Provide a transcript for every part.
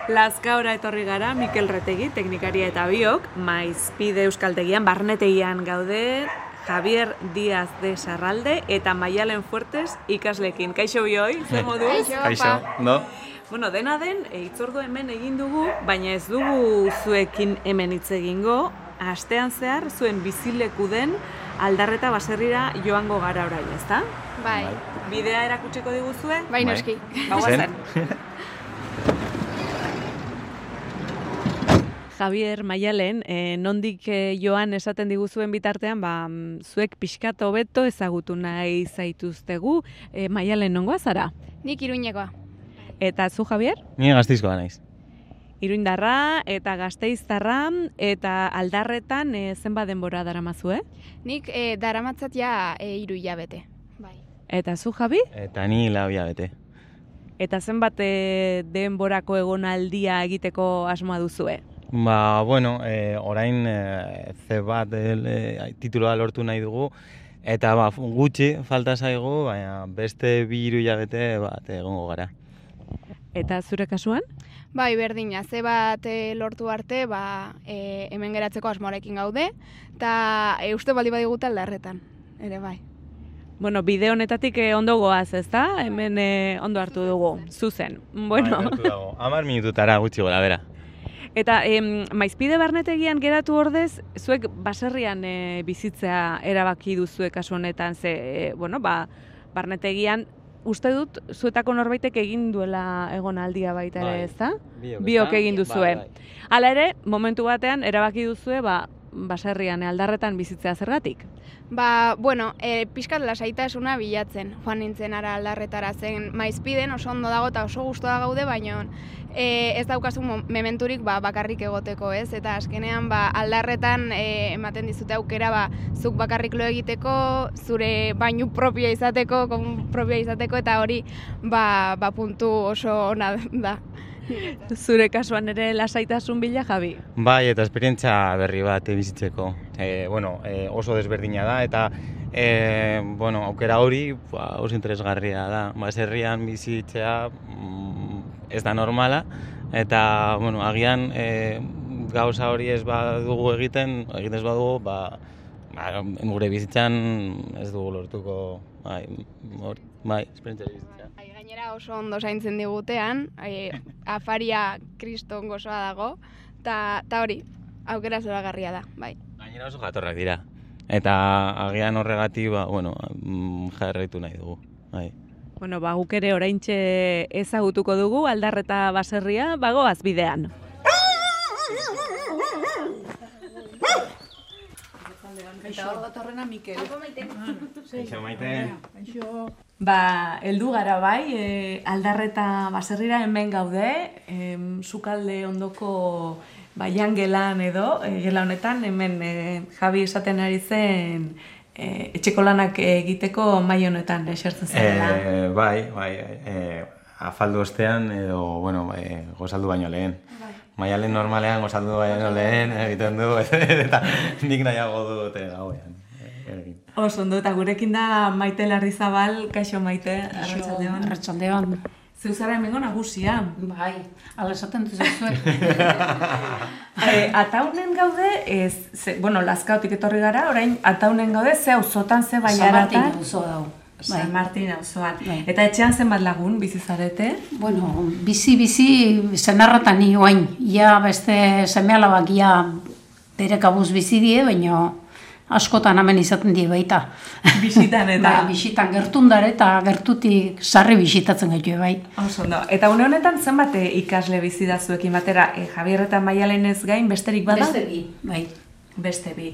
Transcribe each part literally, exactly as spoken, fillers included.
Lazkaora etorri gara, Mikel Retegi, teknikaria eta biok, Maizpide Euskaltegian, barnetegian gaude, Javier Díaz de Sarralde eta Maialen Fuertes ikaslekin. Kaixo bioi, zer moduz? Kaixo, no? Bueno, dena den, hitzordu hemen egin dugu, baina ez dugu zuekin hemen hitz egingo, astean zehar zuen bizileku den Aldarreta baserrira joango gara orain, ezta? Bai. Bidea erakutsiko diguzue? Bai, noski. Bagoazen. Javier, Maialen, eh, nondik eh, joan esaten diguzuen bitartean, ba, zuek pixkat hobeto ezagutu nahi zaituztegu. Eh, Maialen, nongoa zara? Nik Iruñekoa. Eta zu, Javier? Ni Gasteizkoa naiz. Iruindarra eta Gasteiztarra eta Aldarretan e, zenbat denbora daramazue? Nik e, daramatzat ja e, hiru hilabete. Bai. Eta zu, Javi? Eta ni lau hilabete. Eta zenbat e, denborako egonaldia egiteko asmoa duzue? Ba, bueno, e, orain e, C bat e, tituloa lortu nahi dugu, eta ba, gutxi falta zaigu, baina beste bi hiru hilabete bat egongo gara. Eta zure kasuan? Bai, berdina, ze bat e, lortu arte, ba, e, hemen geratzeko asmoarekin gaude, eta e, uste baldi badiguta Aldarretan, ere bai. Bueno, bide honetatik eh, ondo goaz, ezta? Hemen eh, ondo hartu dugu, zuzen. Bueno. Bai, hartu dago, hamar minututara gutxi gora, bera. Eta em, Maizpide barnetegian geratu ordez, zuek baserrian e, bizitzea erabaki duzue kasu honetan, ze, e, bueno, ba, barnetegian, uste dut, zuetako norbaitek egin duela egonaldia baita ere, ezta? Biok, Biok egin duzue. Bai, bai. Hala ere, momentu batean, erabaki duzue, ba, baserrian, Aldarretan bizitzea zergatik? Ba, bueno, e, pixkat lasaitasuna bilatzen, joan nintzen ara Aldarretara zen Maizpiden oso ondo dago eta oso gustoa gaude, baina e, ez daukazu mementurik ba, bakarrik egoteko, ez? Eta azkenean ba, Aldarretan e, ematen dizute aukera ba, zuk bakarrik lo egiteko, zure bainu propioa izateko, kon propioa izateko, eta hori ba, ba puntu oso ona da. Zure kasuan ere lasaitasun bila, Javi? Bai, eta esperientzia berri bat bizitzeko. E, bueno, e, oso desberdina da, eta e, bueno, aukera hori ba, oso interesgarria da. Baserrian bizitzea mm, ez da normala, eta bueno, agian e, gauza hori ez badugu egiten, egiten ez badugu, ba, ba, gure bizitzan ez dugu lortuko, bai, hor, bai, esperientzia bizitzea. Gainera oso ondo zaintzen digutean, e, afaria kriston gozoa dago, eta hori, aukera zoragarria da, bai. Gainera oso jatorrak dira, eta agian horregatik, ba, bueno, jarraitu nahi dugu, bai. Bueno, ba, guk ere oraintxe ezagutuko dugu, Aldarreta baserria, bagoaz bidean. Eta hor datorrena Mikel. Kaixo, Maite. Ba, heldu gara bai, e, Aldarreta baserrira hemen gaude, e, sukalde ondoko ba, jangelan edo, e, gela honetan, hemen e, Javi esaten ari zen e, etxeko lanak egiteko mahai honetan esertzen zela. E, bai, bai, e, afaldu ostean edo, bueno, e, gozaldu baino lehen. Maialen normalean gozaldu baino lehen egiten du, eta nik nahiago dut gauean. Oso ondo, eta gurekin da Maite Larrizabal, kaixo Maite, arratsaldeon. Arratsaldeon. Zeu zara hemengo nagusia. Bai, ala esaten duzuek. e, ataunen gaude, ez, ze, bueno, Lazkaotik etorri gara, orain ataunen gaude, ze auzotan, ze baiaratan. San Martin auzo dau. San Martin auzoan. Bai. Eta etxean zenbat lagun bizi zarete? Bueno, bizi-bizi senarratan ni oain. Ja beste seme-alabak ja bere kabuz bizi die, baina askotan hemen izaten die baita. Bisitan eta? Bai, bisitan gertundare eta gertutik sarri bisitatzen gaitu bai. Oso ondo. Eta une honetan zenbat ikasle bizi da zuekin batera, e, Javier eta Maialenez gain besterik bada? Beste bi, bai. Beste bi.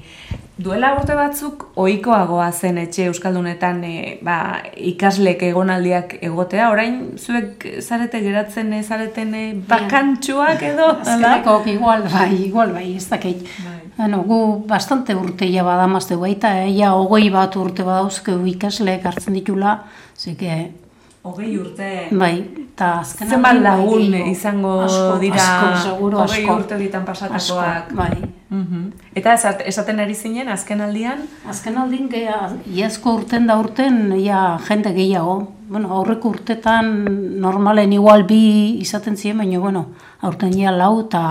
Duela urte batzuk ohikoagoa zen etxe euskaldunetan e, ba, ikaslek egonaldiak egotea, orain zuek zarete geratzen e, zareten e, bakantxuak edo? Azkeneko igual bai, igual bai, ez dakit. Bai. Bueno, gu bastante urteia badamazte baita, ja hogei bat urte badauzkeu ikasleek hartzen ditula, zeke Hogei urte. Bai, eta azken zenbat lagun izango dira hogei urte horietan pasatakoak. Bai. Eta esaten ari zinen, azken aldian? Azken aldian, iazko urten da urten, ia jende gehiago. Bueno, aurreko urtetan normalen igual bi izaten ziren, baina, bueno, aurten ia lau eta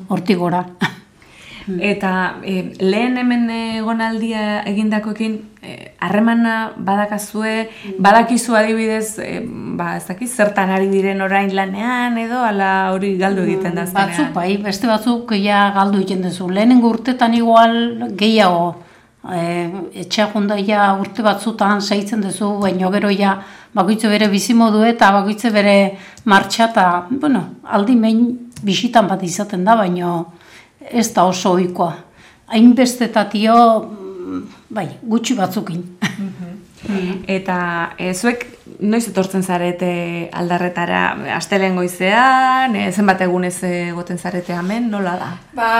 hortik gora. Eta e, lehen hemen egonaldia egindakoekin harremana e, badakazue, badakizu adibidez, e, ba, ez dakiz, zertan ari diren orain lanean edo, ala hori galdu egiten da azkenean? Batzuk, bai, beste batzuk ja galdu egiten duzu. Lehenengo urtetan igual gehiago, e, etxea jundaia urte batzutan saitzen duzu, baina gero ja bakoitze bere bizimodu eta bakoitze bere martxa eta, bueno, aldi mein bisitan bat izaten da, baina ez da oso ohikoa. Hainbestetatio, bai, gutxi batzukin. Eta e, zuek noiz etortzen zarete aldarretara? Astelehen goizean, e, zenbat egunez egoten zarete hemen, nola da? Ba,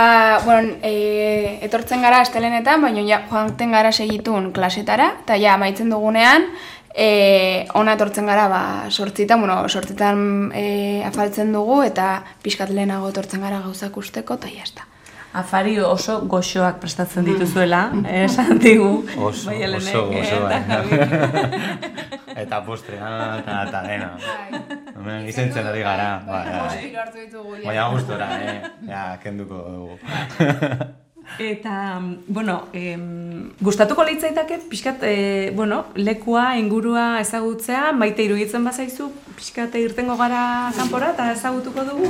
bueno, e, etortzen gara astelehenetan, baina ja, joanten gara segitun klasetara, eta ja, amaitzen dugunean, E, ona etortzen gara ba, sortzitan, bueno, sortzitan e, afaltzen dugu eta pixkat lehenago etortzen gara gauzak usteko eta jazta. Afari oso goxoak prestatzen dituzuela, esan digu. Oso, oso, oso, bai. Eta postrea eta dena. Hemen izentzen ari gara. Baina gustora, eh? Ja, kenduko dugu. Eta, bueno, em, gustatuko litzaitake pixkat, e, bueno, lekua, ingurua ezagutzea, maite iruditzen bazaizu, pixkat irtengo gara kanpora eta ezagutuko dugu?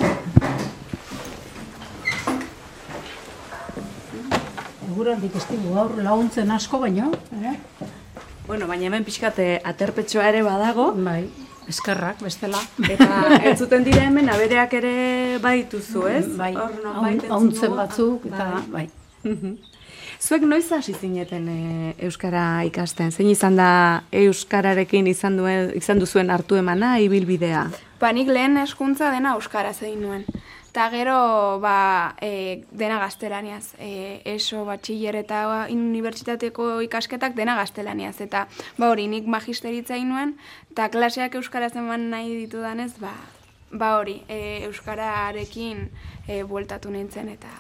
Eguraldik ez digu gaur laguntzen asko baino. Eh? Bueno, baina hemen pixkat aterpetxoa ere badago. Bai, eskerrak, bestela. Eta entzuten dira hemen abereak ere baituzu, ez? Bai, hauntzen batzuk, eta bai. Zuek noiz hasi zineten e, euskara ikasten? Zein izan da euskararekin izan duen izan duzuen hartu emana ibilbidea? Ba, nik lehen hezkuntza dena euskaraz egin nuen. Eta gero ba, e, dena gaztelaniaz. E, eso, batxiller eta unibertsitateko ikasketak dena gaztelaniaz. Eta ba hori, nik magisteritza egin nuen, eta klaseak euskaraz eman nahi ditudanez, ba, ba hori, e, euskararekin e, bueltatu nintzen eta,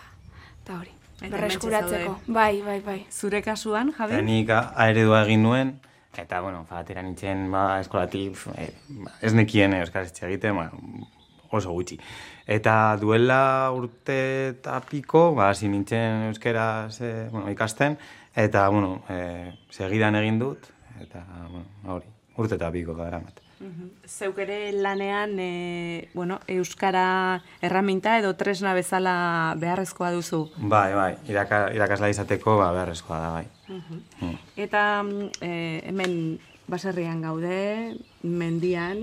eta hori. Berreskuratzeko, bai, bai, bai. Zure kasuan, Javi? Nik aeredua egin nuen, eta, bueno, atera nintzen, ba, eskolatik, e, ez nekien euskaraz egiten, ba, oso gutxi. Eta duela urte eta piko, ba, hasi nintzen euskaraz e, bueno, ikasten, eta, bueno, e, segidan egin dut, eta, bueno, hori, urte eta piko gara bat. Zeuk ere lanean e, bueno, euskara erraminta edo tresna bezala beharrezkoa duzu? Bai, bai, iraka, irakasla izateko ba, beharrezkoa da, bai. Uh-huh. mm. Eta e, hemen baserrian gaude, mendian,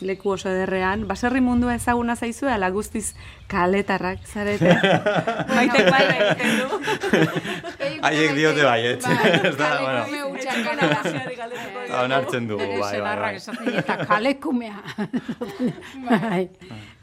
leku oso ederrean, baserri mundua ezaguna zaizu, ala guztiz kaletarrak zarete. Maitek bai egiten du. Haiek diote baiet. Ez da, bueno. Onartzen dugu, bai, bai, bai. Eta kalekumea.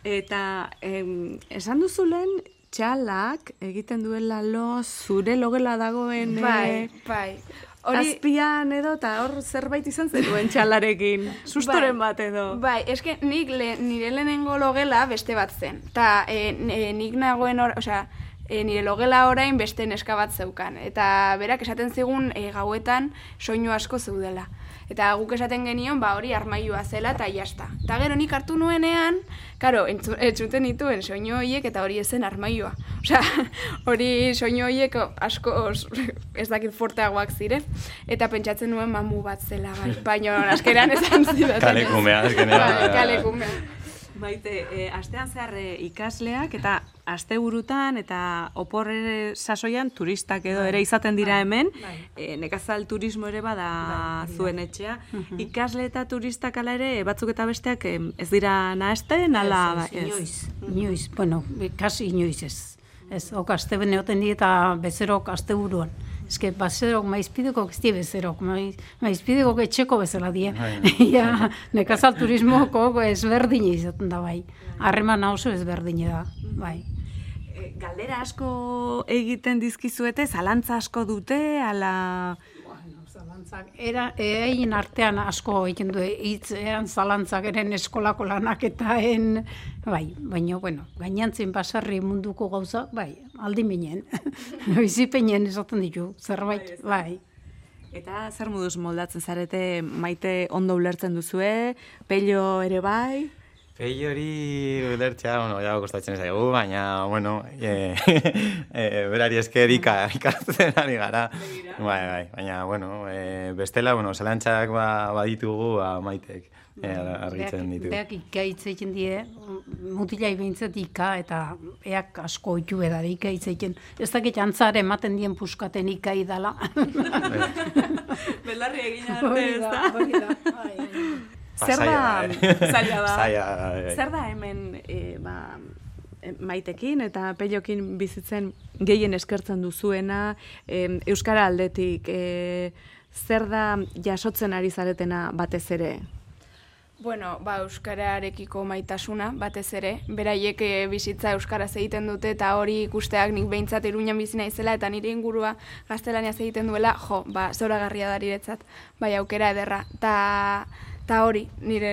Eta em, esan duzu lehen, txalak egiten duela lo zure logela dagoen... Bai, bai. Hori... Azpian edo, eta hor zerbait izan zenuen txalarekin, sustoren bai, bat edo. Bai, eske nik le, nire lehenengo logela beste bat zen. Ta e, e, nik nagoen, or, osea, e, nire logela orain beste neska bat zeukan. Eta berak esaten zigun e, gauetan soinu asko zeudela. Eta guk esaten genion, ba hori armailua zela eta jazta. Eta gero nik hartu nuenean, karo, entzuten dituen soinu horiek eta hori ezen armailua. Osea, hori soinu horiek asko ez dakit forteagoak ziren. Eta pentsatzen nuen mamu bat zela, bai. Baina askeran esan zidaten. Kalekumea, azkenean. Bai, kalekumea. Maite, e, astean zehar e, ikasleak eta asteburutan eta opor ere sasoian turistak edo ere izaten dira hemen, e, nekazal turismo ere bada zuen etxea. Ikasle eta turistak ala ere, batzuk eta besteak e, ez dira nahasten, ala... Ez, inoiz, inoiz, bueno, kasi inoiz ez. Ez, ok, aste beneoten di eta bezerok asteburuan. Ez que bazerok, maizpidekok ez die bezerok, maizpidekok etxeko bezala die. Ja, nekazal turismoko ezberdine izaten da bai. Harreman oso ezberdine da, bai. Galdera asko egiten dizkizuete, zalantza asko dute, ala... Zalantzak, era, egin artean asko egin du, hitzean zalantzak eren eskolako lanak eta en, bai, baina, bueno, gainantzin basarri munduko gauza, bai, aldi minen, bizipenien esaten ditu, zerbait, bai. Eta zer moduz moldatzen zarete, Maite ondo ulertzen duzue, Pello ere bai? Pello hori ulertzea, bueno, ja kostatzen zaigu, baina, bueno, e, e, berari esker ika, ikatzen ari gara. Bai, bai, baina, bueno, e, bestela, bueno, zelantzak ba, baditugu, ba, Maitek e, argitzen ditu. Beak ika hitzeiten die, mutilai behintzat ika, eta eak asko oitu edar ika hitzeiten. Ez dakit antzare ematen dien puskaten ika idala. Belarri egin arte, ez da? Hori da, bai. Zer da, zaila da, zaila da, zer da hemen e, ba, Maitekin eta Pellokin bizitzen gehien eskertzen duzuena, e, Euskara aldetik, e, zer da jasotzen ari zaretena batez ere? Bueno, ba, euskararekiko maitasuna, batez ere, beraiek bizitza euskaraz egiten dute eta hori ikusteak nik behintzat Iruñan bizi naizela eta nire ingurua gaztelaniaz egiten duela, jo, ba, zoragarria da niretzat, bai aukera ederra, ta Eta hori, nire...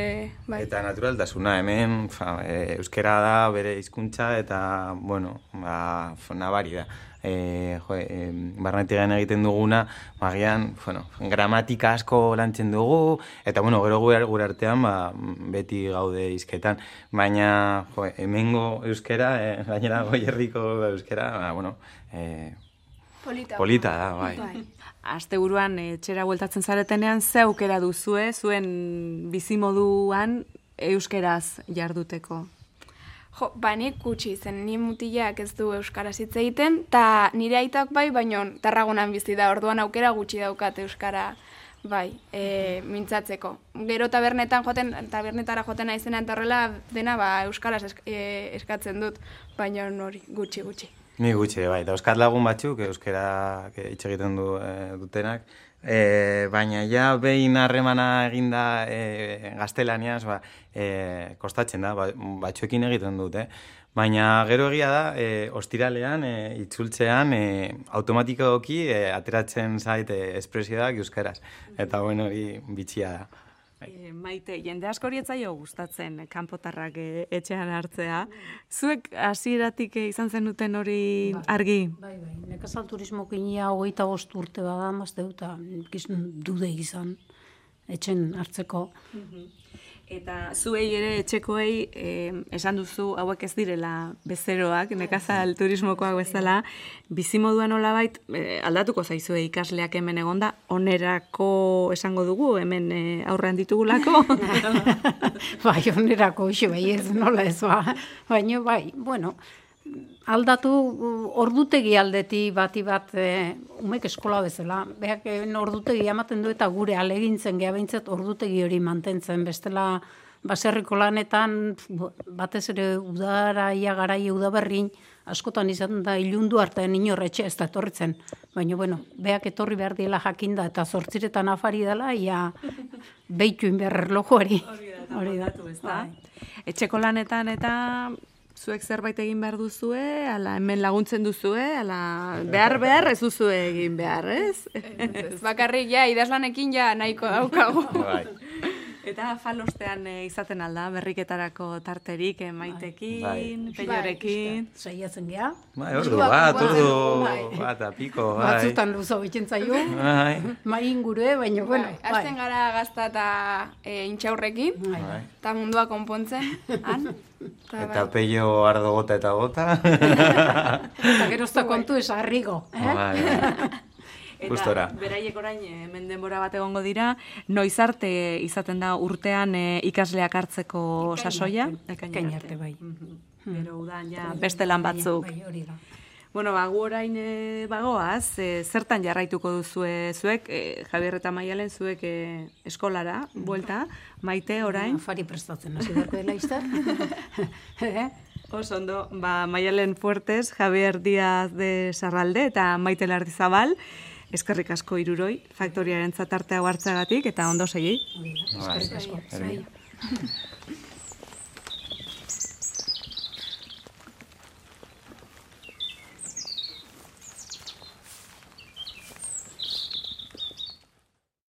Bai. Eta naturaltasuna, hemen fa, e, euskera da bere hizkuntza eta, bueno, ba, nabari da. E, jo, e, barnetigan egiten duguna, magian, bueno, gramatika asko lantzen dugu, eta, bueno, gero gure, gure artean, ba, beti gaude hizketan. Baina, jo, hemengo euskera, e, gainera Goierriko euskera, ba, bueno, e, polita, polita da, bai. bai. Asteburuan etxera bueltatzen zaretenean, ze aukera duzue, zuen bizimoduan euskeraz jarduteko? Jo, ba, nik gutxi zen, ni mutilak ez du euskaraz hitz egiten, eta nire aitak bai, baino Tarragonan bizi da, orduan aukera gutxi daukat euskara bai, e, mintzatzeko. Gero tabernetan joaten, tabernetara joaten aizenan eta horrela dena ba, euskaraz esk, e, eskatzen dut, baino hori gutxi gutxi. Ni gutxi, bai, dauzkat lagun batzuk, euskera hitz egiten du, e, dutenak, e, baina ja behin harremana eginda e, gaztelaniaz, ba, e, kostatzen da, ba, batzuekin egiten dut, eh? Baina gero egia da, e, ostiralean, e, itzultzean, e, automatikoki e, ateratzen zait e, espresioak euskaraz, eta bueno, hori bitxia da. E, Maite, jende askori ez zaio gustatzen kanpotarrak e, etxean hartzea. Zuek hasieratik e, izan zenuten hori argi? Bai, bai. Nekazal turismokinia hogeita bost urte bada, mazte dut, dude izan etxen hartzeko. Eta zuei ere etxekoei eh, esan duzu hauek ez direla bezeroak, nekazal turismokoak bezala, bizimoduan nolabait eh, aldatuko zaizue ikasleak hemen egonda, onerako esango dugu, hemen eh, aurrean ditugulako. Bai, onerako, xe, bai, ez nola ez ba. Baina, bai, bueno, aldatu ordutegi aldeti bati bat e, umek eskola bezala. Beak ordutegi ematen du eta gure alegintzen geha behintzat ordutegi hori mantentzen. Bestela baserriko lanetan batez ere udara, ia garai udaberrin, askotan izan da ilundu artean inorretxe ez da etorritzen. Baina, bueno, beak etorri behar diela jakinda eta zortziretan afari dela, ia behituin behar erloju hori. Hori da, ez da. Etxeko lanetan eta... Zuek zerbait egin behar duzue, ala hemen laguntzen duzue, ala behar behar ez duzue egin behar, ez? Ez, bakarrik ja, idazlanekin ja nahiko daukagu. Eta falostean e, izaten alda, berriketarako tarterik, e, Maitekin, Pellorekin. Saiatzen geha. Bai, ordu bat, ordu bat, apiko, bai. Batzutan luzo bitzen zaio, mai ingurue, baina, bueno. Azten gara gazta eta intxaurrekin, eta mundua konpontzen, han. Eta Pello ardo gota eta gota. Eta gerozta kontu ez arrigo. Eta beraiek orain hemen denbora bat egongo dira, noiz arte izaten da urtean ikasleak hartzeko sasoia? Ekain arte, bai. Gero udan ja beste lan batzuk. Bueno, ba, gu orain e, bagoaz, e, zertan jarraituko duzue zuek, e, Javier eta Maialen zuek e, eskolara, buelta, Maite orain? Afari prestatzen, hasi darko dela izter. Oso ondo, ba, Maialen Fuertes, Javier Díaz de Sarralde eta Maite Lardizabal, eskerrik asko hiruroi, faktoriaren zatartea hartzagatik eta ondo segi. Eskerrik asko.